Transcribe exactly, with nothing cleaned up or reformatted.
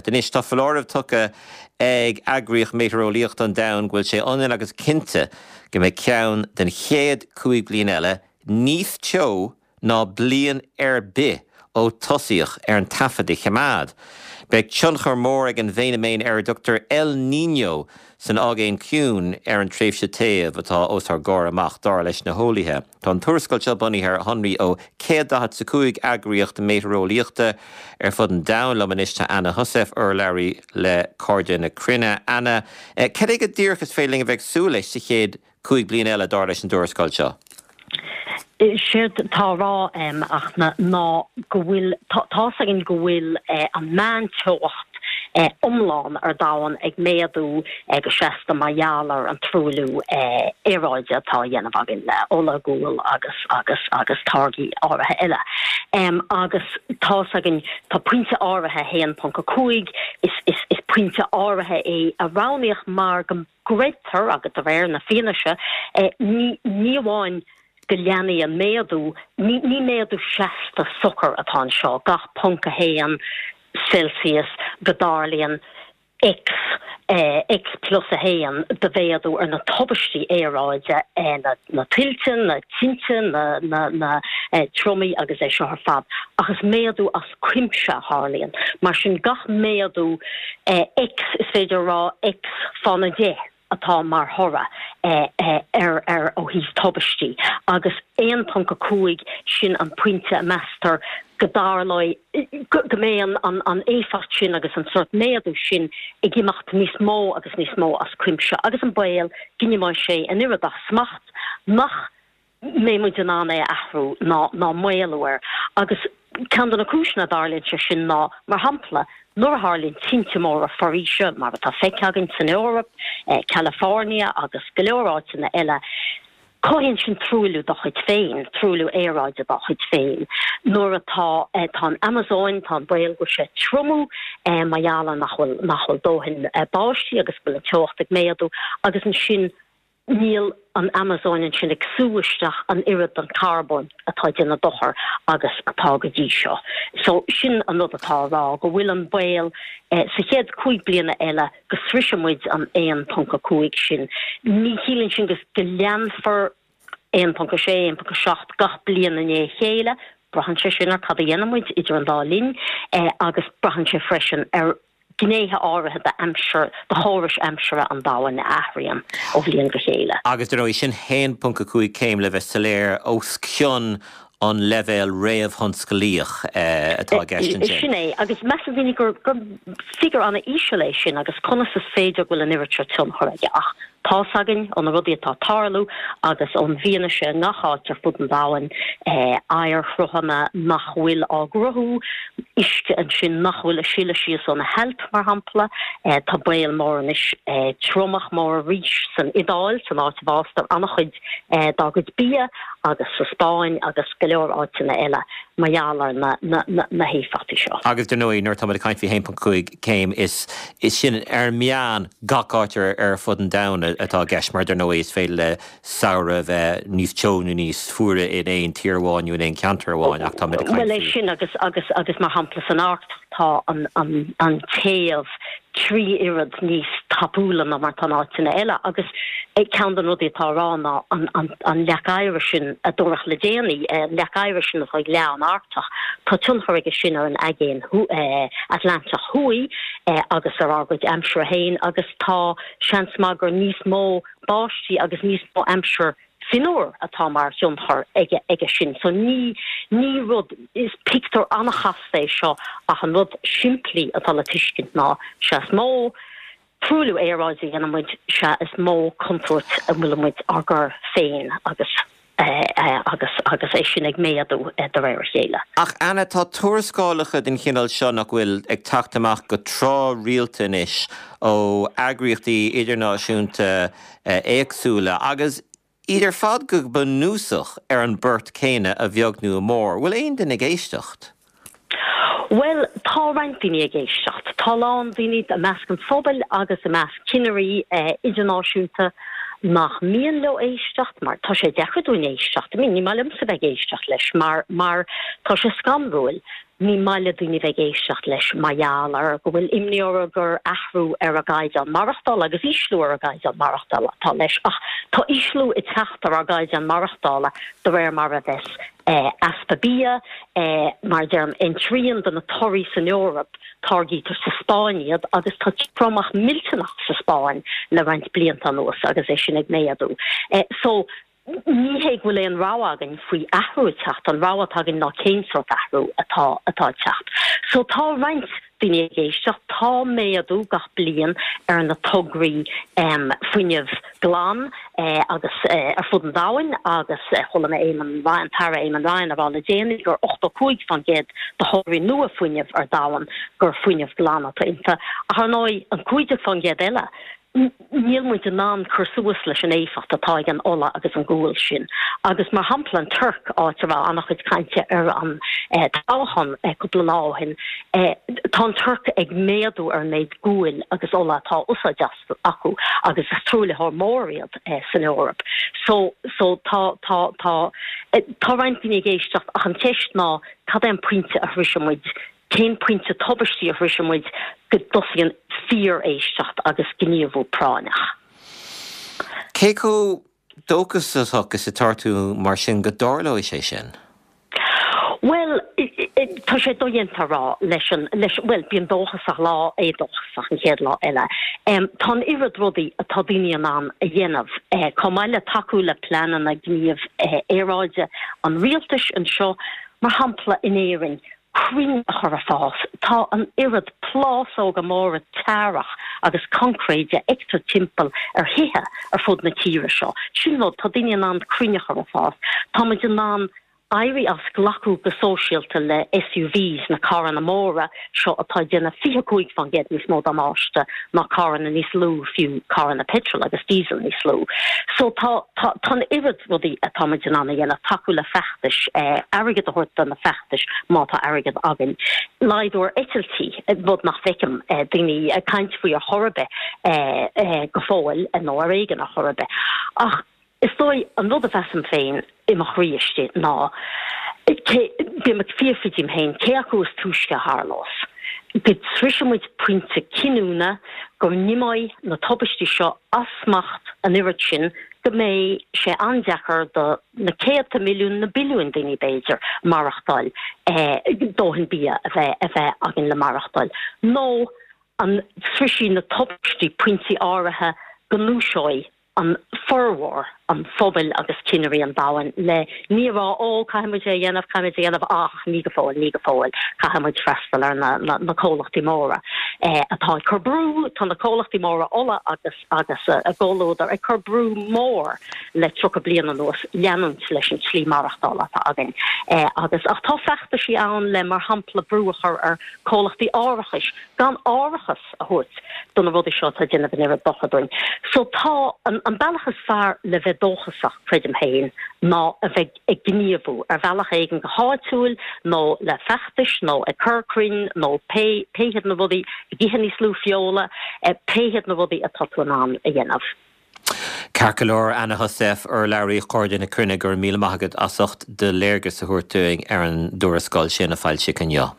fichead. Anois tá foláireamh tugtha ag Eagraíocht Meitéareolaíochta an Domhain go bhfuil sé ionann agus cinnte go mbeidh ceann den chéad cúig bliain eile níos teo ná bliain ar bith ó tosaíodh ar an taifead a choimeád. Beidh tionchar mór ag an bhfeiniméan ar a dtugtar El Niño san Aigéan Ciúin ar an tréimhse téimh atá os ár gcomhair amach dar leis na heolaithe. Tá an tuarascáil seo bunaithe ar shonraí ó céad daichead a cúig eagraíocht meitéareolaíochta ar fud an domhain liom anois tá Anna Heussaff urlabhraí le Cairde na Cruinne. Anna, cad é go díreach is féidir linn a bheith ag súil leis sa chéad cúig bliain eile dar leis an dtuarascáil seo. Séard tá á rá ach ná go bhfuil tá's againn go bhfuil an meánteocht iomlán ar domhan ag méadú go seasta mar gheall ar an truailliú aeráide atá á dhéanamh againn le ola, gual agus agus agus táirgí áirithe eile. Um, agus tá's againn tá pointe áirithe haon ponc a cúig is, is, is pointe áirithe é a roghnaíodh mar go gcreidtear agus de réir na fianaise eh, ní, ní amháin go leanfaidh an méadú ní, ní méadú seasta socair atá anseo gach ponc a haon Celsius go dtarlaíonn X eh, X plus a haon de mhéadú ar na tubaistí aeráide eh, na, na tuilte, na tinte, na, na, na eh, triomaigh agus é seo ar fad. Ach is méadú as cuimse a tharlaíonn. Mar sin gach méadú eh, X is féidir rá X fána deich atá mar thoradh eh, eh, ar ar ó thaobh tubaistí agus aon ponc a cúig sin an pointe a meastar go dtarlóidh go mbeidh an, an, an éifeacht sin agus an sórt méadú sin ag imeacht níos mó agus níos mó as cuimse agus an baol go n-imeoidh sé an oiread as smacht nach mbeidh muid in ann é a athrú ná ná maolú air agus ceann de na cúiseanna a dtarlaíonn sé sin ná mar shampla nuair a tharlaíonn tinte móra foraoise mar atá feicthe againn san Eoraip, eh, California agus go leor áiteanna eile. Cothaíonn sin truailliú dá chuid féin, truailliú aeráide dá chuid féin. Nuair atá eh, tá an Amazon tá an baol go bhfuil sé ag triomú eh, mar gheall ar nach bhfuil nach bhfuil dóthain eh, báistí agus go bhfuil an teocht ag méadú agus ansin níl an Amazon ansin ag sú isteach an oiread den carbón atá ag déanamh dochar agus atá go dtí seo. So sin an rud atá á rá go bhfuil an baol eh, sa chéad cúig bliana eile go sroichfidh muid an aon ponc a cúig sin. Ní chiallaíonn sin go go leanfar aon ponc a sé, aon ponc a seacht gach bliain i ndiaidh a chéile, braitheann sé sin ar cad a dhéanann muid idir an dá linn eh, agus braitheann sé freisin ar gnéithe áirithe d'aimsir, de chórais aimsire an domhain a athraíonn ó bhliain go chéile. Agus dar ndóigh sin haon ponc a cúig céim le bheith soiléir os cionn an leibhéal réamhthionsclaíoch atá i gceist ansin. Sin é, agus measann daoine gur gur figiúr an-íseal é sin agus conas is féidir go bhfuil an oiread seo tionchar aige ach tá's againn ó na rudaí atá ag tarlú agus ón bhfianaise i ngach áit ar fud an domhain, oighearshruthanna nach bhfuil á gcruthú, uisce ansin nach bhfuil ag sileadh síos ó na hAilp, mar shampla. Tá baol mór anois triomach mór arís san Iodáil, san áit a bhfástar an-chuid dá gcuid bia, agus sa Spáinn agus go leor áiteanna eile mar gheall ar na na héifeachtaí seo. Agus dar ndóigh, nuair atá muid ag caint faoi haon ponc cúig céim, is sin ar an meán gach áit ar fud an domhain atá i gceist, mar dar ndóigh is féidir le samhradh a bheith níos teo nó níos fuaire in aon tír amháin nó in aon cheantar amháin ach tá muid ag caint Bhuel é faoi. sin agus agus agus mar shampla san Arctach tá an an an téamh trí oiread níos tapúla ná mar atá in áiteanna eile agus ceann de na rudaí atá á rá ná an an an leac oighir sin a dúradh le déanaí, an leac oighir sin atá ag leá an Arctach, tá tionchar aige sin ar an Aigéan Atlantach Thuaidh agus ar ár gcuid aimsire féin agus tá seans maith gur níos mó báistí agus níos mó aimsir fionnuar atá mar thionchar aige aige sin. So ní ní rud, is pictiúr an-chasta é seo ach an rud simplí atá le tuiscint ná sea is mó truailliú aeráide a dhéanann muid, sea is mó contúirt a bhfuil muid ár gcur féin agus agus agus é sin ag méadú de réir a chéile. Ach Anna, tá tuarascálacha den chineál seo nach bhfuil ag teacht amach go tráthrialta anois ó eagraíochtaí idirnáisiúnta éagsúla agus iad ar fad go bunúsach ar an bport céanna a bheag nó a mhór. Bhfuil aon duine ag éisteacht? Bhuel, tá roinnt daoine ag éisteacht. Tá a lán daoine i measc an phobail agus i measc cinnirí idirnáisiúnta nach mian leo éisteacht mar tá sé deacair dúinn éisteacht. I mean, ní maith liomsa bheith ag éisteacht leis mar mar tá sé scanrúil. ní maith le daoine bheith ag éisteacht leis mar gheall ar go bhfuil imní orthu gur athrú ar a gcaighdeán maireachtála agus ísliú ar a gcaighdeán maireachtála atá leis. Ach tá ísliú ag teacht ar ár gcaighdeán maireachtála de réir mar a bheas easpa bia, mar a deirim, aon trian de na torthaí san Eoraip, táirgítear sa Spáinn iad agus tá triomach millteanach sa Spáinn le roinnt blianta anuas agus é sin ag méadú. So, Ní hé go bhfuil aon rogha againn faoi athrú ag teacht, an rogha atá againn ná cén sórt athrú atá atá ag teacht. So tá roinnt daoine ag éisteacht, tá méadú gach bliain ar na tograí fuinnimh glan agus ar fud an domhain agus chuala mé Eamon Ryan, an tAire Eamon Ryan a rá le déanaí gur ochtó cúig faoin gcéad de thograí nua fuinnimh ar domhan gur fuinneamh glan atá iontu. Ach ar ndóigh an cúig déag faoin gcéad eile, níl muid in ann cur suas leis an éifeacht atá ag an ola agus an gual sin. Agus mar shampla an Tuirc, áit a raibh an-chuid cainte ar an toghchán cúpla lá ó shin, tá an Tuirc ag méadú ar an méid guail agus ola atá á úsáid acu agus is truaillitheoir mór iad san Eoraip. So, so tá, tá, tá, tá roinnt daoine ag éisteacht ach an cheist ná cad é an pointe a shroiseann muid Cén pointe tubaistí a shroiseann muid go dtosaíonn fíor-éisteacht agus gníomhú práinneach? Cé chomh dóchasach is atá tú mar sin go dtarlóidh sé sin? Bhuel, tá sé dodhéanta a rá leis an, leis, bhuel, bím dóchasach lá, éadóchasach an chéad lá eile. Tá an oiread rudaí atá daoine in ann a dhéanamh, chomh maith le tacú le pleananna gníomh aeráide an rialtais anseo, mar shampla in Éirinn, crainn a chur ag fás. Tá an oiread plásóga móra tearach agus coincréide a fheictear timpeall ar thithe ar fud na tíre seo. Sin rud, tá daoine in ann crainn a chur ag fás. Tá muid in ann éirí as glacadh go sóisialta le SUVs, na carranna móra seo atá ag déanamh fiche cúig faoin gcéad níos mó damáiste ná carranna níos lú, fiú carranna petrol agus diesel níos lú. So tá, tá, tá an oiread rudaí atá muid in ann a dhéanamh, tacú le feachtais, airgead a thabhairt do na feachtais má tá airgead againn. Laghdú ar eitiltí, rud nach bhfeicim daoine ag caint faoi ar chor ar bith go fóill, nó ar éigean ar chor ar bith. Ach is dóigh an rud a mheasaim féin i mo chroí istigh ná, cé, bím ag fiafraí díom féin, cé acu is túisce a tharlós, go sroiseann muid pointe cinniúna go n-imeoidh na tubaistí seo as smacht an oiread sin go mbeidh sé an-deacair do na céadta milliún, na billiúin daoine b'fhéidir, maireachtáil, dóthain bia a bheith a bheith againn le maireachtáil, nó an sroisfidh na tubaistí pointí áirithe go ndúiseoidh an formhór an phobail agus cinnirí an domhain le ní a rá 'Ó, caithfidh muid é a dhéanamh, caithfidh muid é a dhéanamh ach ní go fóill, ní go fóill, caithfidh muid freastal ar na, na, na comhlachtaí móra atá ag cur brú, tá na comhlachtaí móra ola agus, agus a gcomhluadar ag cur brú mór le tríocha bliain anuas leanúint leis an tslí maireachtála atá againn. Agus, ach tá feachtaisí ann le, mar shampla, brú a chur ar comhlachtaí árachais gan árachas a thabhairt do na rudaí seo atá ag déanamh an oiread dochair dúinn. So tá an an bealach is fearr le bheith dóchasach, creidim féin, ná a bheith ag gníomhú ar bhealach éigin go háitiúil nó le feachtais nó ag cur crainn nó pé pé hiad na rudaí, ag ithe níos lú feola, pé hiad na rudaí atá tú in ann a dhéanamh. Ceart go leor, Anna Heussaff, urlabhraí Chairde na Cruinne, go raibh míle maith agat as ucht do léargas a thabhairt dúinn ar an dtuarascáil sin a foilsíodh inniu.